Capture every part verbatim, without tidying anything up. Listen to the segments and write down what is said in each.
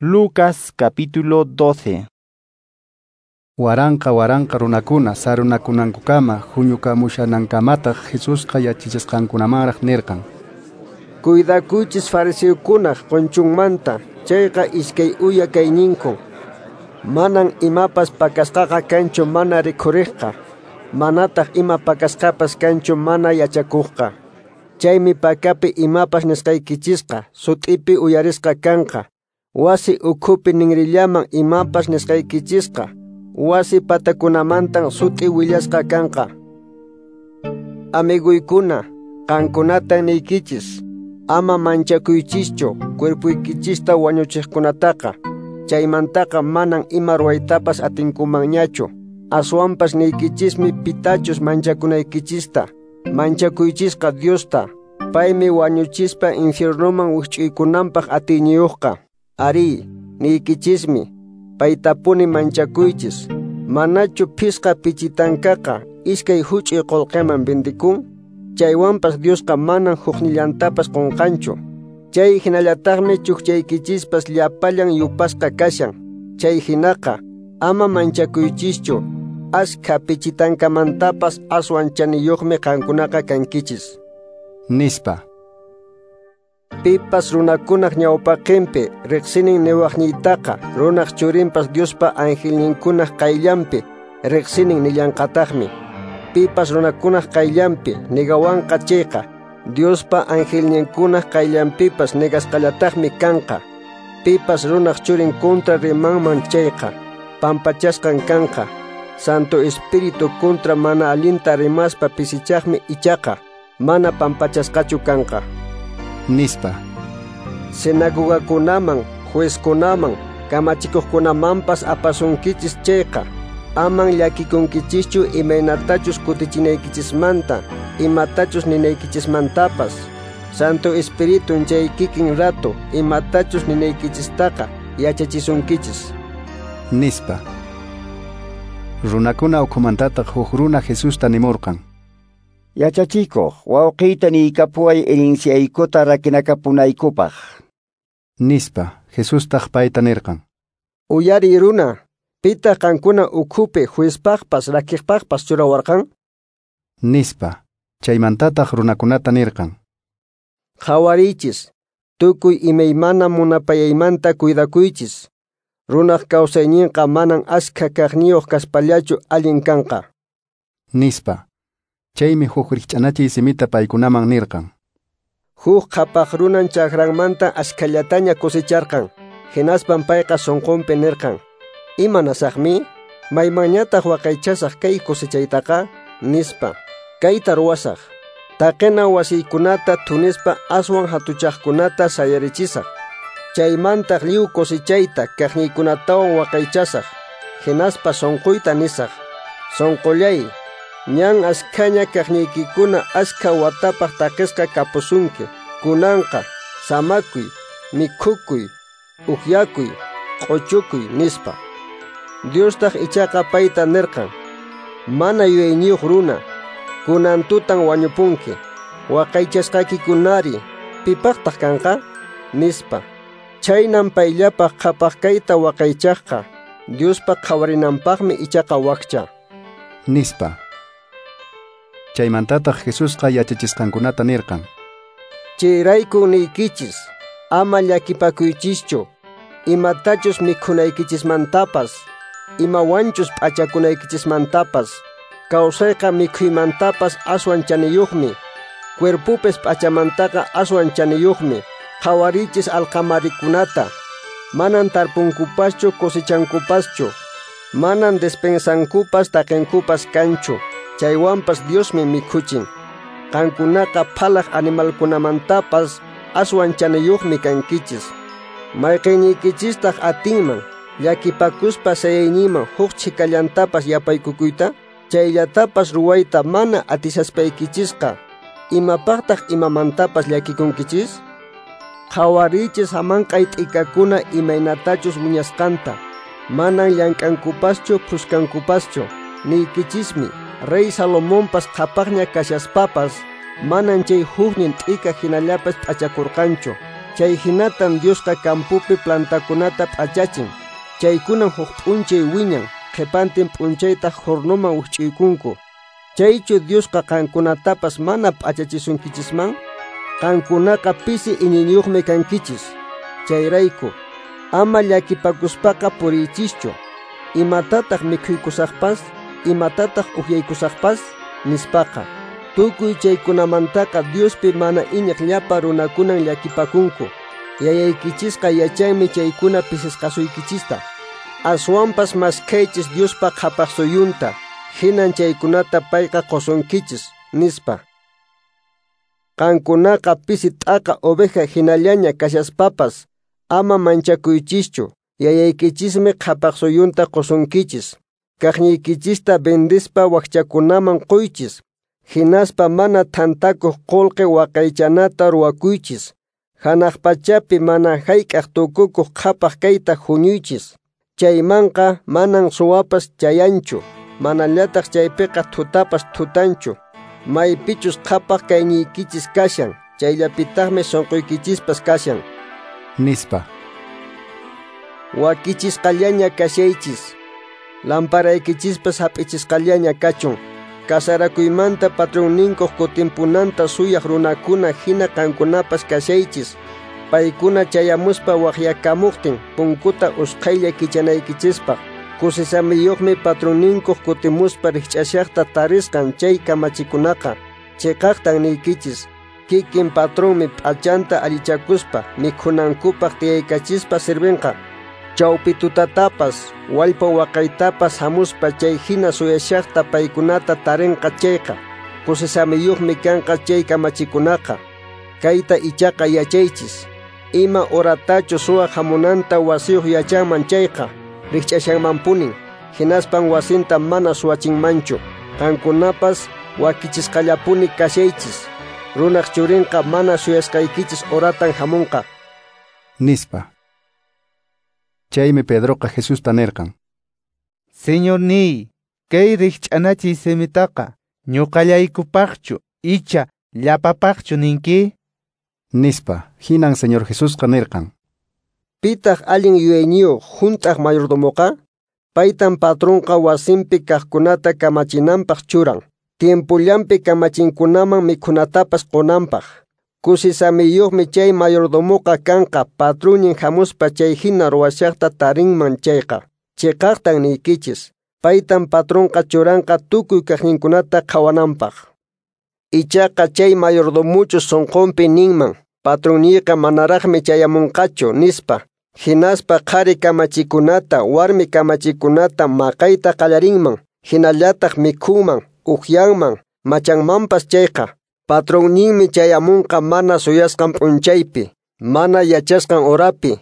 Lucas capítulo doce. Waranqa waranqa runakuna sarunakunankukama huñukamushanankamataq Jesusqa yachachisqankunamanraq nirqan: Cuidakuychis fariseokunaq qonchunmanta, chayqa iskay uya kayninkun. Manan imapas pakasqaqa kanchu mana rikhuriqqa, manataq ima pakasqapas kanchu mana yachakuqqa. Chaymi pakapi imapas nisqaykichisqa sut'ipi uyarisqa kanqa. Wasi ukhupi ninrillaman imapas nisqaykichisqa wasi patakunamantan sut'i willasqa kanqa. Amiguykuna, qankunatan niykichis, ama manchakuychischu cuerpuykichista wañuchiqkunataqa, chaymantaqa manan ima ruwaytapas atinkumanñachu. Aswanpas niykichismi pitachus manchakunaykichista, manchakuychisqa Diosta, paymi wañuchispa infiernoman wikch'uykunanpaq atiyniyuqqa. Ari, niykichismi, paytapuni manchakuychis. Manachu phisqa pichitankaqa iskay huch'uy qullqiman vendikun? Chaywanpas Diosqa manan huknillantapas qunqanchu. Chay hinallataqmi chukchaykichispas llapallan yupasqa kashan. Chay hinaqa ama manchakuychischu, askha pichitankamantapas aswan chaniyuqmi qankunaqa kankichis. Nispa. Pipas runakunaq ñawpaqinpi riqsinin niwaqniytaqa, runaq churinpas Diospa angelninkunaq qayllanpi riqsinin nillanqataqmi. Pipas runakunaq qayllanpi nigawanqa chayqa, Diospa angelninkunaq qayllanpipas nigasqallataqmi kanqa. Pipas runaq churin contra rimanman chayqa, pampachasqan kanqa. Santo Espíritu contra mana allinta rimaspa pisichaqmi ichaqa, mana pampachasqachu kanqa. Nispa. Sinagogakunaman, juezkunaman, kamachikuqkunamanpas apasunkichis chayqa, aman llakikunkichischu imaynatachus kutichinayykichismanta, imatachus ninaykichismantapas. Santo Espiritun chay kikin rato imatachus ninaykichistaqa yachachisunkichis. Nispa. Runakuna ukhumantataq huk runa Jesusta nimurqan: Yachachikuq, wawqiyta niykapuway herenciaykuta rakinakapunaykupaq. Nispa. Jesustaq payta nirqan: Uyariy runa, pitaq qankuna ukhupi juezpaqpas rakiqpaqpas churawarqan? Nispa. Chaymantataq runakunata nirqan: Qhawariychis, tukuy imaymana munapayaymanta cuidakuychis. Runaq kawsayninqa manan askha kaqniyuq kaspallachu allin kanqa. Nispa. Chaymi huk rikch'anachiy simita paykunaman nirqan: Huk qhapaq runan chakranmanta askhallataña cosecharqan. Hinaspan payqa sunqunpi nirqan: Imanasaqmi? Maymanñataq waqaychasaq kay cosechaytaqa? Nispa. Kayta ruwasaq. Taqina wasiykunata thunispa aswan hatuchaqkunata sayarichisaq. Chaymantaq lliw cosechayta kaqniykunatawan waqaychasaq. Hinaspa sunquyta nisaq: Sunqullay, ñan askhaña kaqniykikuna askha watapaq taqisqa kapusunki. Kunanqa samakuy, mikhukuy, ukyakuy, q'uchukuy, nispa. Diostaq ichaqa payta nirqan: Mana yuyayniyuq runa, kunan tutan wañupunki. Waqaychasqaykikunari pipaqtaq kanqa? Nispa. Chaynan payllapaq qhapaq kayta waqaychaqqa, Diospa qhawarinanpaqmi ichaqa wakcha. Nispa. Chaymantataq Jesusqa yachachisqankunata nirqan: Chayrayku niykichis, ama llakipakuychischu, imatachus mikhunaykichismantapas, imawanchus p'achakunaykichismantapas. Kawsayqa mikhuymantapas aswan chaniyuqmi, cuerpupis p'achamantaqa aswan chaniyuqmi. Qhawarichis alqamarikunata, manan tarpunkupaschu cosechankupaschu, manan despensankupas taqinkupas kanchu, chaywanpas Diosmi mikhuchin. Qankunaqa phalaq animalkunamantapas aswan chaniyuqmi kankichis. Mayqinniykichistaj atinman llakipakuspa sayayninman huk chhikallantapas yapaykukuyta? Chayllatapas ruwayta mana atisaspaykichisqa, imapaqtaq imamantapas llakikunkichis? Qhawarichis hamanq'ay t'ikakuna imaynatachus wiñasqanta, manan llank'ankupaschu phuskankupaschu. Niykichismi, Rey Salomonpas qhapaqña kashaspapas, manan chay huknin t'ika hinallapas p'achakurqanchu. Chay hinatan Diosqa campopi plantakunata p'achachin. Chaykunan huk p'unchay wiñan, qhipantin p'unchaytaq hornoman wikch'uykunku. Chaychu Diosqa qankunatapas mana p'achachisunkichisman? Qankunaqa pisi iñiyniyuqmi kankichis. Chayrayku, ama llakipakuspaqa puriychischu. Imatataq mikhuykusaqpas, imatataq uhyaykusaqpas, nispaqa. Tukuy chaykunamantaqa Diospi mana iñiq llapa runakunan llakipakunku. Yayaykichisqa yachanmi chaykuna pisisqasuykichista. Aswanpas maskhaychis Diospa qhapaq suyunta, hinan chaykunata payqa qusunkichis, nispa. Qankunaqa pisi t'aqa oveja hinallaña kashaspapas, ama manchakuychischu, yayaykichismi qhapaq suyunta qusunkichis. Kaqniykichista vendispa wakchakunaman quychis, hinaspa mana thantakuq qullqi waqaychanata ruwakuychis. Hanaq pachapi mana hayk'aq tukukuq qhapaq kayta huñuychis. Chaymanqa manan suwapas chayanchu, manallataq chaypiqa thutapas thutanchu. Maypichus qhapaq kayniykichis kashan, chayllapitaqmi sunquykichispas kashan. Nispa. Wakichisqallaña kashaychis, lamparaykichispas hap'ichisqallaña kachun. Kasarakuymanta patronninkuq kutimpunanta suyaq runakuna hina qankunapas kashaychis. Paykuna chayamuspa waqyakamuqtin punkuta usqhaylla kichanaykichispaq. Kusisamiyuqmi patronninkuq kutimuspa rikch'ashaqta tarisqan chay kamachikunaqa. Chiqaqtan niykichis, kikin patronmi p'achanta allichakuspa mikhunankupaq tiyaykachispa sirvinqa. Chawpi tutatapas, wallpa waqaytapas hamuspa chay hina suyashaqta paykunata tarinqa chayqa. Kusisamiyuqmi kanqa chay kamachikunaqa. Kayta ichaqa yachaychis. Ima horatachus suwa hamunanta wasiyuq yachanman chayqa, rikch'ashanmanpunin, hinaspan wasinta mana suwachinmanchu. Qankunapas wakichisqallapuni kashaychis. Runaq churinqa mana suyasqaykichis horatan hamunqa. Nispa. Chaymi Pedroqa Jesusta nirqan: Señorniy, kay rikch'anachiy simitaqa ñuqallaykupaqchu icha llapapaqchu ninki? Nispa. Hinan Señor Jesusqa nirqan: Pitaq allin yuyayniyuq hunt'aq mayordomoqa? Paytan patronqa wasinpi kaqkunata kamachinanpaq churan, tiempullanpi kamachinkunaman mikhunatapas qunanpaq. Kusisamiyuqmi chay mayordomoqa kanqa patronnin hamuspa chay hina ruwashaqta tarinman chayqa. Chiqaqtan niykichis, paytan patronqa churanqa tukuy kaqninkunata qhawananpaq. Ichaqa chay mayordomuchu sunqunpi ninman, patronniyqa manaraqmi chayamunqachu, nispa. Hinaspa qhari kamachikunata, warmi kamachikunata maqayta qallarinman, hinallataq mikhunman, uhyanman, machanmanpas chayqa. Patronninmi chayamunqa mana suyasqan p'unchaypi, mana yachasqan horapi,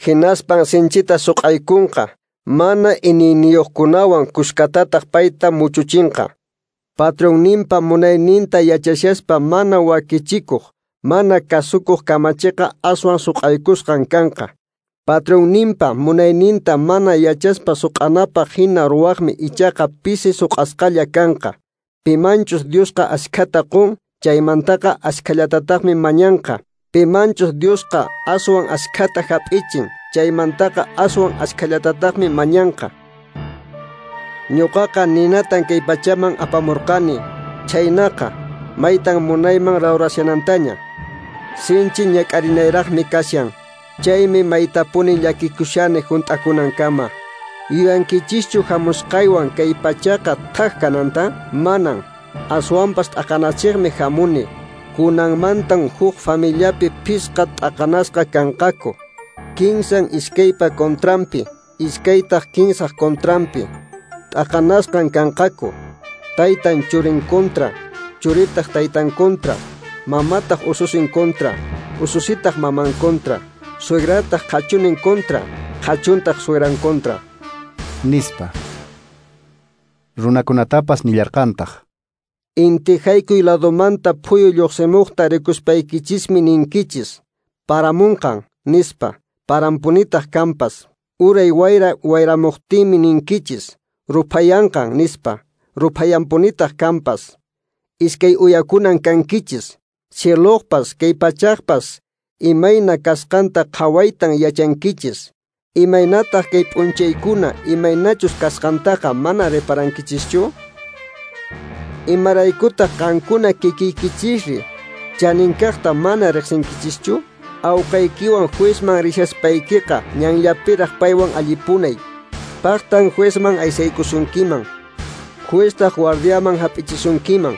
hinaspan sinchita suq'aykunqa, mana iñiyniyuqkunawan kushkatataq payta muchuchinqa. Patronninpa munayninta yachashaspa mana wakichikuq, mana kasukuq kamachiqa aswan suq'aykusqan kanqa. Patronninpa munayninta mana yachaspa suq'anapaq hina ruwaqmi ichaqa pisi suq'asqalla kanqa. Pimanchus Diosqa ashkhata qun, chaymantaqa ashkhallatataqmi mañanqa. Pimanchus Diosqa aswan ashkhata hap'ichin, chaymantaqa aswan ashkhallatataqmi mañanqa. Ñuqaqa ninatan kay pachaman apamurqani, chaynaqa maytan munayman rawrashanantaña. Sinchi ñak'arinayraqmi kashan, chaymi maytapuni llakikushani hunt'akunankama. Yuyankichischu hamusqaywan kay pachaqa thak kananta? Manan. Aswanpas t'aqanachiqmi hamuni. Kunanmantan huk familiapi phisqa t'aqanasqa kanqaku. Kinsan iskaypa contranpi, iskaytaq kinsaq contranpi. T'aqanasqan kanqaku. Taytan churin contra, churitaq taytan contra, mamataq ususin contra, ususitaq maman contra, suegrataq qhachunin contra, qhachuntaq suegran contra. Nispa. Runakunatapas nillarqantaq: Inti haykuy ladomanta phuyu lluqsimuqta rikuspaykichismi ninkichis, paramunqan, nispa, parampunitaq kanpas. Uray wayra wayramuqtinmi ninkichis, ruphayanqan, nispa, ruphayanpunitaq kanpas. Iskay uyakunan kankichis, cieloqpas, kay pachaqpas, imayna kasqanta qhawaytan yachankichis. Imaynataq kay p'unchaykuna imaynachus kasqantaqa mana reparankichischu? Imaraykutaq qankuna kikiykichisri chaninkaqta mana riqsinkichischu? Awqaykiwan juezman rishaspaykiqa ñanllapiraq paywan allipunay. Paqtan juezman aysaykusunkiman. Jueztaq guardiaman hap'ichisunkiman.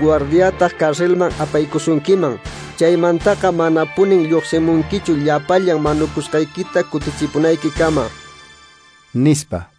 Guardiataq carcelman apaykusunkiman. Chaymantaqa manapunin lluqsimunkichu llapallan manukusqaykita kutichipunaykikama. Nispa.